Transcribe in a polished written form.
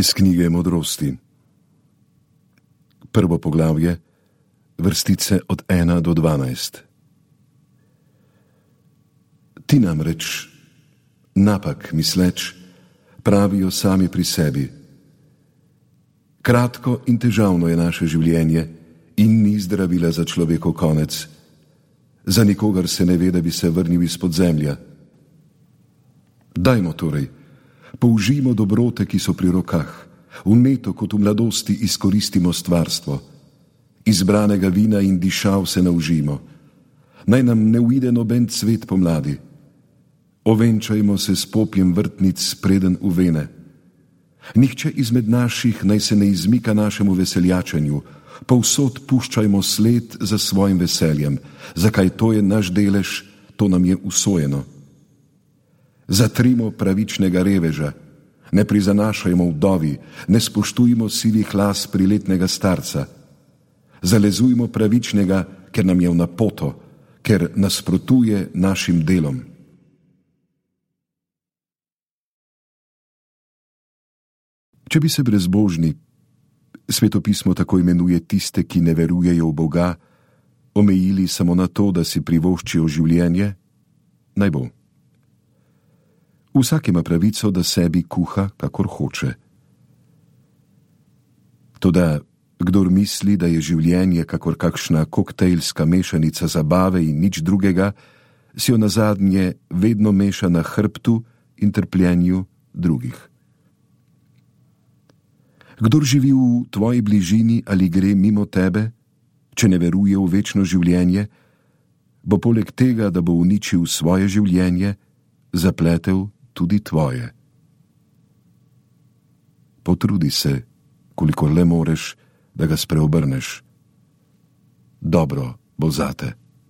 Iz knjige Modrosti. Prvo poglavje, vrstice od 1 do 12. Ti namreč, napak misleč, pravijo sami pri sebi: kratko in težavno je naše življenje in ni zdravila za človekov konec. Za nikogar se ne ve, da bi se vrnil izpod zemlja. Dajmo torej, použijmo dobrote, ki so pri rokah, vneto kot v mladosti izkoristimo stvarstvo. Izbranega vina in dišav se naužimo. Naj nam ne uide noben cvet pomladi. Ovenčajmo se s popjem vrtnic preden uvene. Nihče izmed naših naj se ne izmika našemu veseljačenju, povsod puščajmo sled za svojim veseljem, zakaj to je naš delež, to nam je usojeno. Zatrimo pravičnega reveža, ne prizanašajmo vdovi, ne spoštujmo sivih las priletnega starca. Zalezujmo pravičnega, ker nam je v napoto, ker nasprotuje našim delom. Če bi se brezbožni, svetopismo tako imenuje tiste, ki ne verujejo v Boga, omejili samo na to, da si privoščijo življenje, naj bo. Vsak ima pravico, da sebi kuha, kakor hoče. Toda kdor misli, da je življenje kakor kakšna koktejlska mešanica zabave in nič drugega, si jo nazadnje vedno meša na hrbtu in trpljenju drugih. Kdor živi v tvoji bližini ali gre mimo tebe, če ne veruje v večno življenje, bo poleg tega, da bo uničil svoje življenje, zapletel tudi tvoje. Potrudi se, kolikor le moreš, da ga spreobrneš. Dobro bo zate.